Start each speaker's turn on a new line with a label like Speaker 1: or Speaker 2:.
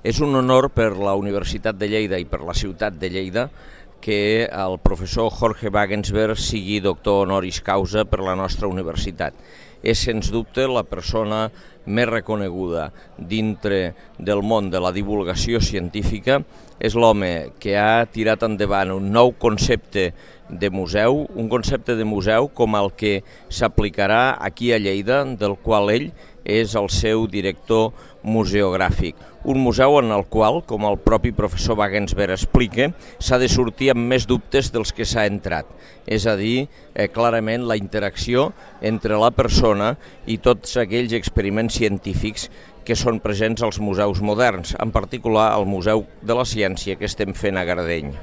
Speaker 1: És un honor per la Universitat de Lleida i per la ciutat de Lleida que el professor Jorge Wagensberg sigui doctor honoris causa per la nostra universitat. És, sens dubte, la persona més reconeguda dintre del món de la divulgació científica. És l'home que ha tirat endavant un nou concepte de museu, un concepte de museu com el que s'aplicarà aquí a Lleida, del qual ell és el seu director museogràfic. Un museu en el qual, com el propi professor Wagensberg explica, s'ha de sortir amb més dubtes dels que s'ha entrat. És a dir, clarament la interacció entre la persona i tots aquells experiments científics que són presents als museus moderns, en particular al Museu de la Ciència que estem fent a Gardeny.